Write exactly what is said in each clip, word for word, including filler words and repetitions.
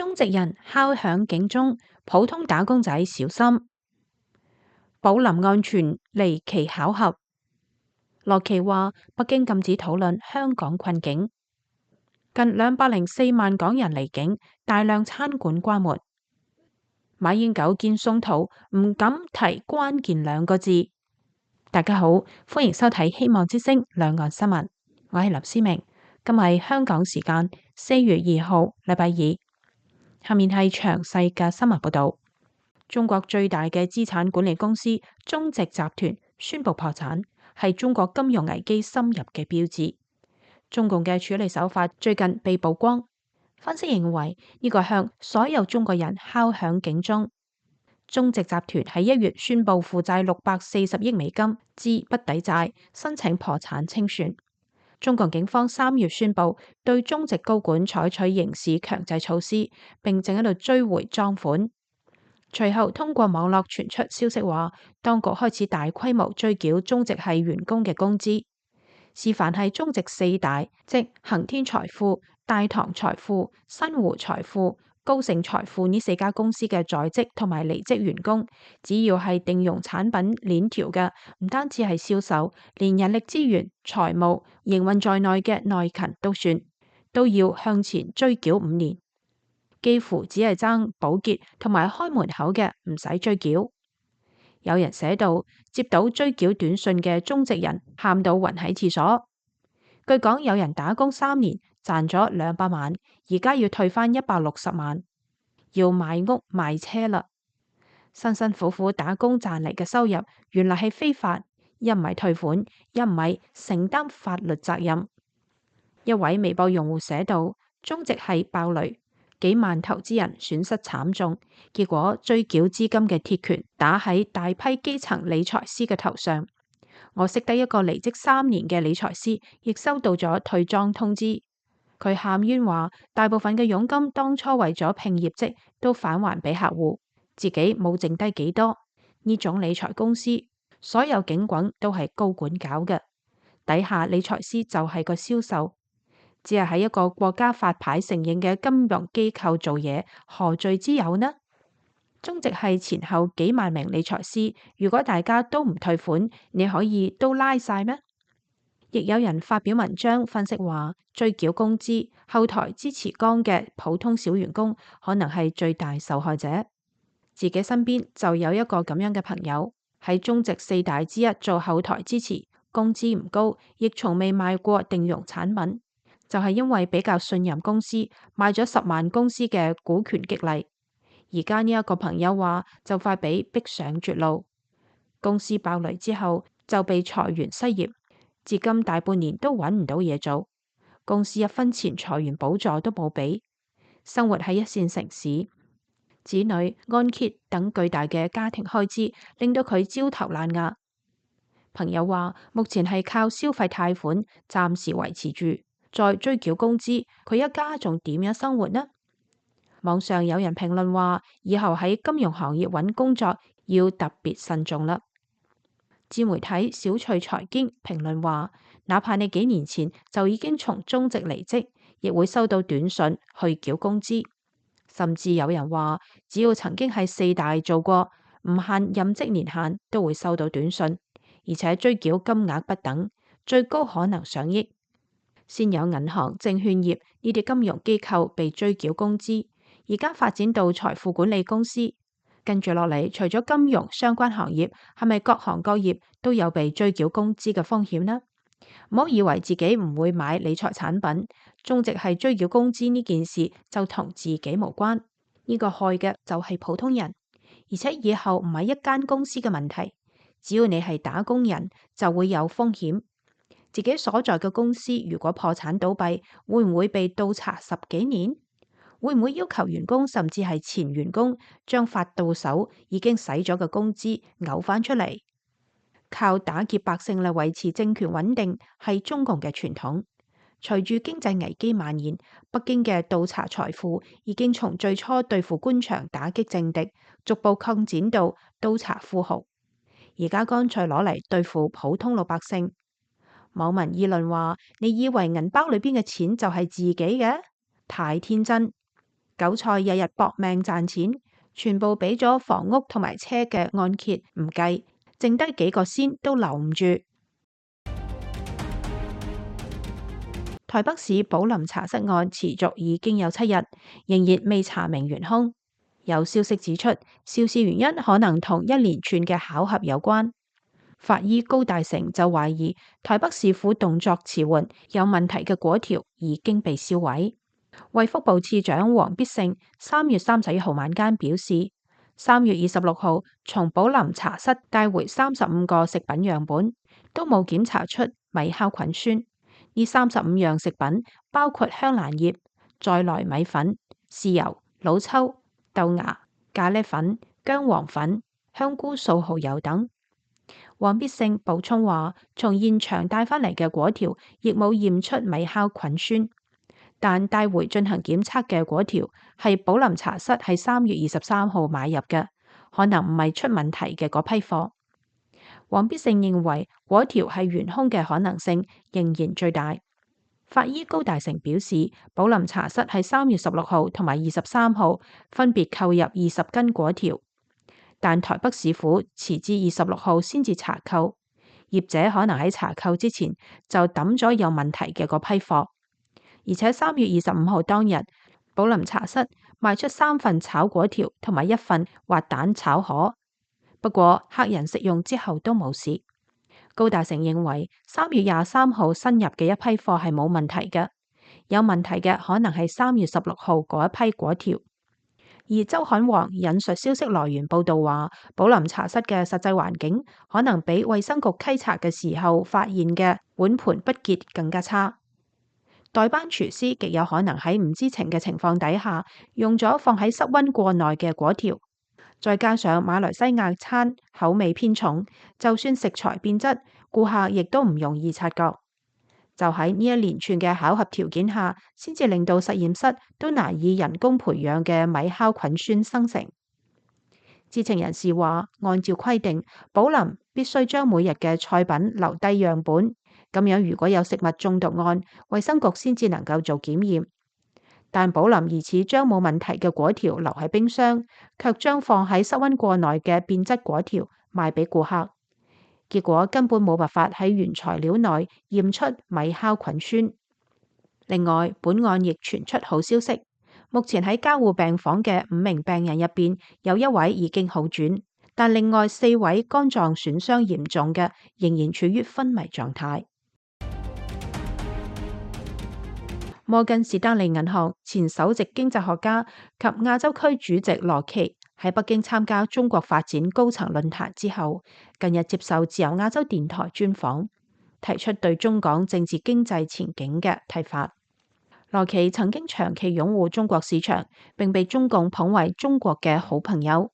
中籍人敲響警鐘，普通打工仔小心，寶林案傳離奇巧合。羅奇話：北京禁止討論香港困境。近兩百零四萬港人離境，大量餐館關門。馬英九見宋濤唔敢提關鍵兩個字。大家好，歡迎收睇《希望之聲》兩岸新聞，我係林思明。今日係香港時間四月二號，禮拜二。下面係詳細嘅新聞報道。中國最大嘅資產管理公司中植集團宣布破產，係中國金融危機深入嘅標誌。中共嘅處理手法最近被曝光，分析認為呢個向所有中國人敲響警鐘。中植集團喺一月宣布負債六百四十億美金，資不抵債，申請破產清算。中國警方三月宣布對中植高管採取刑事強制措施，並正喺度追回贓款。隨後通過網絡傳出消息話，當局開始大規模追繳中植系員工嘅工資。示範係中植四大，即恒天財富、大唐財富、新湖財富、高盛財富呢四家公司嘅在職同埋離職員工，只要係定用產品鏈條嘅，唔單止係銷售，連人力資源、財務、營運在內嘅內勤都算，都要向前追繳五年，幾乎只係爭保潔同埋開門口嘅唔使追繳。有人寫到，接到追繳短信嘅中植人喊到暈喺廁所。據講有人打工三年賺咗兩百萬，而家要退翻一百六十萬，要賣屋賣車啦。辛辛苦苦打工賺嚟嘅收入，原來係非法，一唔係退款，一唔係承擔法律責任。一位微博用戶寫到，中植係爆雷。幾萬投資人損失慘重，結果追繳資金嘅鐵拳打喺大批基層理財師嘅頭上。我識得一個離職三年嘅理財師，亦收到咗退莊通知。佢喊冤話，大部分嘅佣金當初為咗拼業績，都返還俾客戶，自己冇剩低幾多。呢種理財公司，所有警棍都係高管搞嘅，底下理財師就係個銷售。只係喺一個國家發牌承認嘅金融機構做嘢，何罪之有呢？中植係前後幾萬名理財師，如果大家都唔退款，你可以都拉晒咩？亦有人發表文章分析話，追繳工資後台支持剛嘅普通小員工，可能係最大受害者。自己身邊就有一個咁樣嘅朋友，喺中植四大之一做後台支持，工資唔高，亦從未賣過定用產品。就係因為比較信任公司，買咗十萬公司嘅股權激勵。而家呢一個朋友話，就快俾逼上絕路。公司爆雷之後就被裁員失業，至今大半年都揾唔到嘢做。公司一分錢裁員補助都冇俾，生活喺一線城市，子女按揭等巨大嘅家庭開支令到佢焦頭爛額。朋友話，目前係靠消費貸款暫時維持住。再追繳工資，佢一家仲點樣生活呢？網上有人評論話，以後喺金融行業揾工作要特別慎重啦。自媒體小趣財經評論話，哪怕你幾年前就已經從中植離職，亦會收到短信去繳工資。甚至有人話，只要曾經喺四大做過，唔限任職年限，都會收到短信，而且追繳金額不等，最高可能上億。先有銀行、證券業呢啲金融機構被追繳工資，而家發展到財富管理公司，跟住落嚟，除咗金融相關行業，係咪各行各業都有被追繳工資嘅風險呢？唔好以為自己唔會買理財產品，中植係追繳工資呢件事就同自己無關。呢個害嘅就係普通人，而且以後唔係一間公司嘅問題，只要你係打工人，就會有風險。自己所在嘅公司如果破產倒閉，會唔會被倒查十幾年？會唔會要求員工甚至係前員工將發到手已經使咗嘅工資嘔翻出嚟？靠打劫百姓嚟維持政權穩定係中共嘅傳統。隨住經濟危機蔓延，北京嘅倒查財富已經從最初對付官場打擊政敵，逐步擴展到倒查富豪，而家乾脆攞嚟對付普通老百姓。網民議論話：你以為銀包裏邊嘅錢就係自己嘅？太天真！韭菜日日搏命賺錢，全部俾咗房屋同埋車嘅按揭唔計，剩低幾個仙都留唔住。台北市寶林茶室案持續已經有七日，仍然未查明元兇。有消息指出，肇事原因可能同一連串嘅巧合有關。法醫高大成就懷疑台北市府動作遲緩，有問題嘅果條已經被銷毀。衛福部次長王必勝三月三十一號晚間表示，三月二十六號從寶林茶室帶回三十五個食品樣本，都冇檢查出米酵菌酸。呢三十五樣食品包括香蘭葉、再來米粉、豉油、老抽、豆芽、咖喱粉、薑黃粉、香菇素蠔油等。王必勝補充話，從現場帶返嚟嘅果條亦冇驗出米酵菌酸，但帶回進行檢測嘅果條係寶林茶室喺三月二十三號買入嘅，可能唔係出問題嘅嗰批貨。王必勝認為果條係元兇嘅可能性仍然最大。法醫高大成表示，寶林茶室喺三月十六號同埋二十三號分別購入二十斤果條，但台北市府遲至二十六號先至查扣，業者可能喺查扣之前就抌咗有問題嘅嗰批貨。而且三月二十五號當日，寶林茶室賣出三份炒果條同埋一份滑蛋炒河。不過客人食用之後都冇事。高大成認為三月廿三號新入嘅一批貨係冇問題嘅，有問題嘅可能係三月十六號嗰一批果條。而周刊王引述消息來源報道話，寶林茶室嘅實際環境可能比衛生局稽查嘅時候發現嘅碗盤不潔更加差。代班廚師極有可能喺唔知情嘅情況底下，用咗放喺室溫過耐嘅果條。再加上馬來西亞餐口味偏重，就算食材變質，顧客亦都唔容易察覺。就喺呢一連串嘅巧合條件下，先至令到實驗室都難以人工培養嘅米酵菌酸生成。知情人士話，按照規定，寶林必須將每日嘅菜品留低樣本，咁樣如果有食物中毒案，衛生局先至能夠做檢驗。但寶林疑似將冇問題嘅果條留喺冰箱，卻將放喺室溫過耐嘅變質果條賣俾顧客，結果根本冇辦法喺原材料內驗出米酵菌酸。另外，本案亦傳出好消息，目前喺加護病房嘅五名病人入邊，有一位已經好轉，但另外四位肝臟損傷嚴重嘅仍然處於昏迷狀態。摩根士丹利銀行前首席經濟學家及亞洲區主席羅奇喺北京參加中國發展高層論壇之後，近日接受自由亞洲電台專訪，提出對中港政治經濟前景嘅睇法。羅奇曾經長期擁護中國市場，並被中共捧為中國嘅好朋友，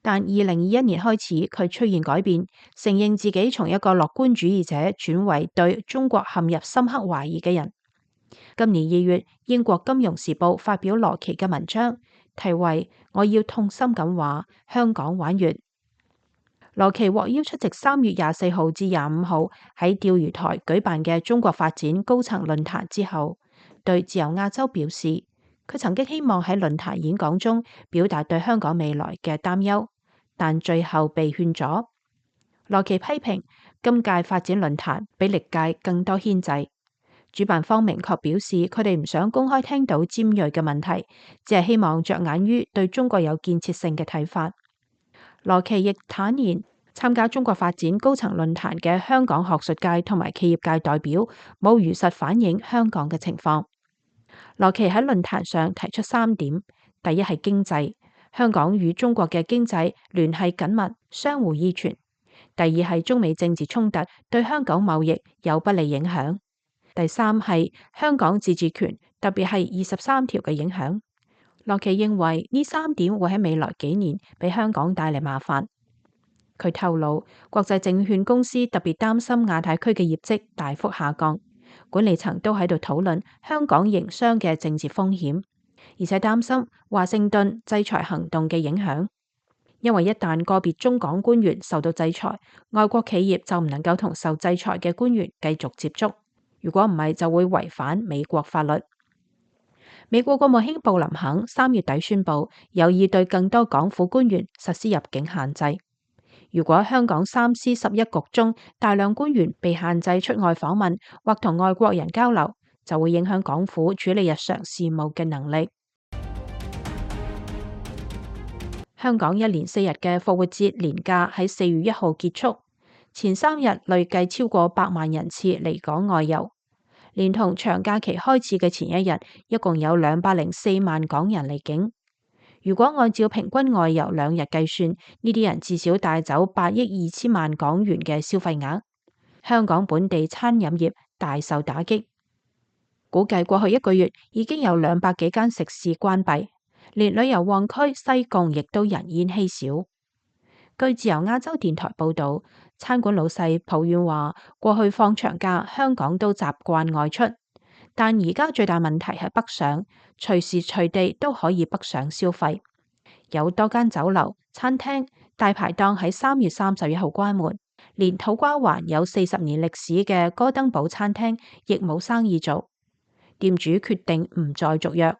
但二零二一年開始佢出現改變，承認自己從一個樂觀主義者轉為對中國陷入深刻懷疑嘅人。今年二月，英國金融時報發表羅奇嘅文章，題為《我要痛心咁話香港玩完》。羅奇獲邀出席三月廿四號至廿五號喺釣魚台舉辦嘅中國發展高層論壇之後，對自由亞洲表示，佢曾經希望喺論壇演講中表達對香港未來嘅擔憂，但最後被勸咗。羅奇批評今屆發展論壇比歷屆更多牽制。主辦方明確表示，佢哋唔想公開聽到尖銳嘅問題，只係希望着眼於對中國有建設性嘅睇法。羅奇亦坦言，參加中國發展高層論壇嘅香港學術界同埋企業界代表冇如實反映香港嘅情況。羅奇喺論壇上提出三點：第一係經濟，香港與中國嘅經濟聯繫緊密，相互依存；第二係中美政治衝突對香港貿易有不利影響。第三係香港自治權，特別係二十三條嘅影響。羅奇認為呢三點會喺未來幾年俾香港帶嚟麻煩。佢透露，國際證券公司特別擔心亞太區嘅業績大幅下降，管理層都喺度討論香港營商嘅政治風險，而且擔心華盛頓制裁行動嘅影響。因為一旦個別中港官員受到制裁，外國企業就唔能夠同受制裁嘅官員繼續接觸。如果唔係，就會違反美國法律。美國國務卿布林肯三月底宣布，有意對更多港府官員實施入境限制。如果香港三司十一局中大量官員被限制出外訪問或同外國人交流，就會影響港府處理日常事務嘅能力。香港一連四日嘅復活節連假喺四月一號結束，前三日累計超過百萬人次離港外遊，連同長假期開始嘅前一日，一共有兩百零四萬港人離境。如果按照平均外遊兩日計算，呢啲人至少帶走八億二千萬港元嘅消費額。香港本地餐飲業大受打擊，估計過去一個月已經有兩百幾間食肆關閉，連旅遊旺區西貢亦都人煙稀少。據自由亞洲電台報道，餐館老細抱怨話，過去放長假香港都習慣外出，但而家最大問題係北上，隨時隨地都可以北上消費。有多間酒樓、餐廳、大排檔喺三月三十一號關門，連土瓜灣有四十年歷史嘅哥登堡餐廳亦冇生意做，店主決定唔再續約。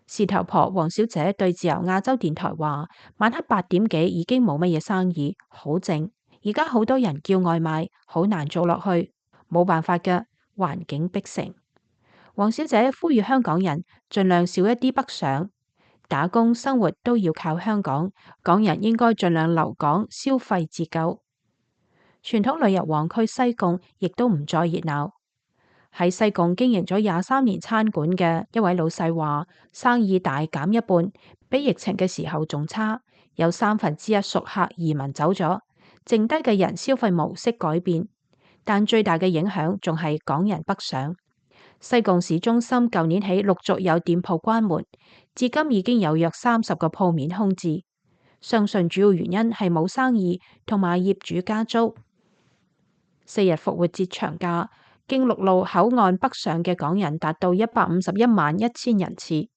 事頭婆黃小姐對自由亞洲電台話，晚黑八點幾已經冇乜嘢生意，好靜。而家好多人叫外賣，好難做落去，冇辦法嘅，環境逼成。黃小姐呼籲香港人盡量少一啲北上，打工生活都要靠香港，港人應該盡量留港消費自救。傳統旅遊旺區西貢亦都唔再熱鬧。喺西貢經營咗廿三年餐館嘅一位老細話，生意大減一半，比疫情嘅時候仲差。有三分之一熟客移民走咗，剩低嘅人消費模式改變，但最大嘅影響仲係港人北上。西貢市中心舊年起陸續有店鋪關門，至今已經有約三十個鋪面空置。相信主要原因係冇生意同埋業主加租。四日復活節長假，經陸路口岸北上嘅港人達到一百五十一萬一千人次，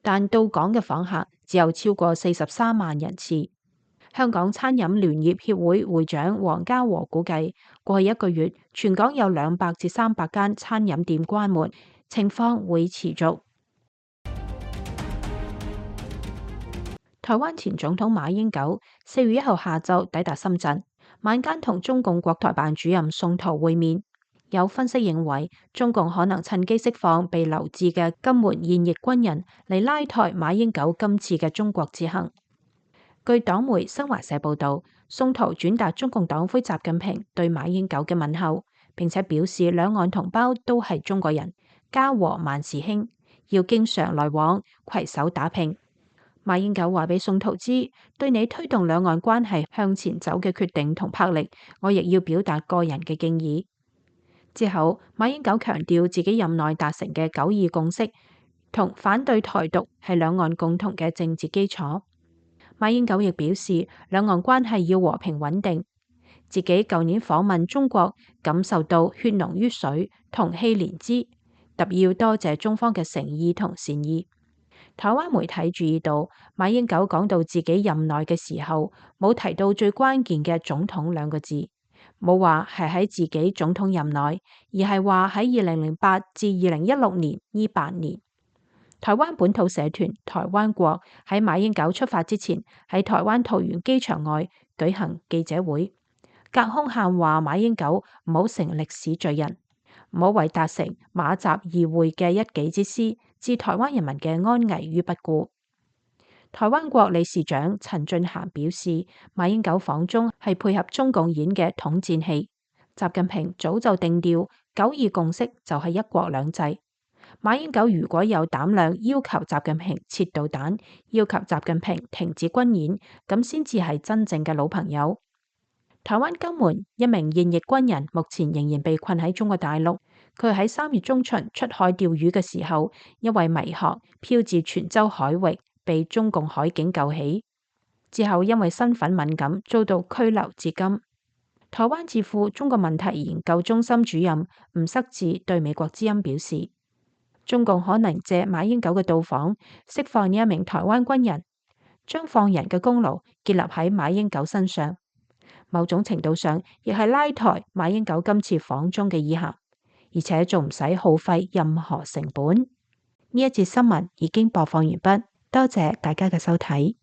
但到港嘅訪客只有超過四十三萬人次。香港餐飲聯業協會會長黃家和估計，過去一個月全港有兩百至三百間餐飲店關門，情況會持續。台灣前總統馬英九四月一號下晝抵達深圳，晚間同中共國台辦主任宋濤會面。有分析認為，中共可能趁機釋放被留置嘅金門現役軍人嚟拉抬馬英九今次嘅中國之行。據黨媒新華社報道，宋濤轉達中共黨魁習近平對馬英九嘅問候，並且表示兩岸同胞都係中國人，家和萬事興，要經常來往，攜手打拼。馬英九話俾宋濤知，對你推動兩岸關係向前走嘅決定同魄力，我亦要表達個人嘅敬意。之後，馬英九強調自己任內達成嘅九二共識同反對台獨係兩岸共同嘅政治基礎。馬英九亦表示，兩岸關係要和平穩定。自己舊年訪問中國，感受到血濃於水，同氣連枝，特別要多謝中方嘅誠意同善意。台灣媒體注意到，馬英九講到自己任內嘅時候，冇提到最關鍵嘅總統兩個字。冇話係喺自己總統任內，而係話喺二零零八至二零一六年呢八年。台灣本土社團台灣國喺馬英九出發之前，喺台灣桃園機場外舉行記者會，隔空喊話馬英九唔好成歷史罪人，唔好為達成馬習議會嘅一己之私，置台灣人民嘅安危於不顧。台灣國理事長陳俊涵表示，馬英九訪中係配合中共演嘅統戰戲。習近平早就定調九二共識就係一國兩制。馬英九如果有膽量要求習近平撤導彈，要求習近平停止軍演，咁先至係真正嘅老朋友。台灣金門一名現役軍人目前仍然被困喺中國大陸。佢喺三月中旬出海釣魚嘅時候，因為迷航漂至泉州海域，被中共海警救起，之後因為身份敏感遭到拘留至今。台灣智庫中國問題研究中心主任吳塞智對美國之音表示，中共可能借馬英九嘅到訪釋放呢一名台灣軍人，將放人嘅功勞建立喺馬英九身上，某種程度上亦係拉抬馬英九今次訪中嘅意涵，而且仲唔使耗費任何成本。呢一節新聞已經播放完畢，多謝大家嘅收睇。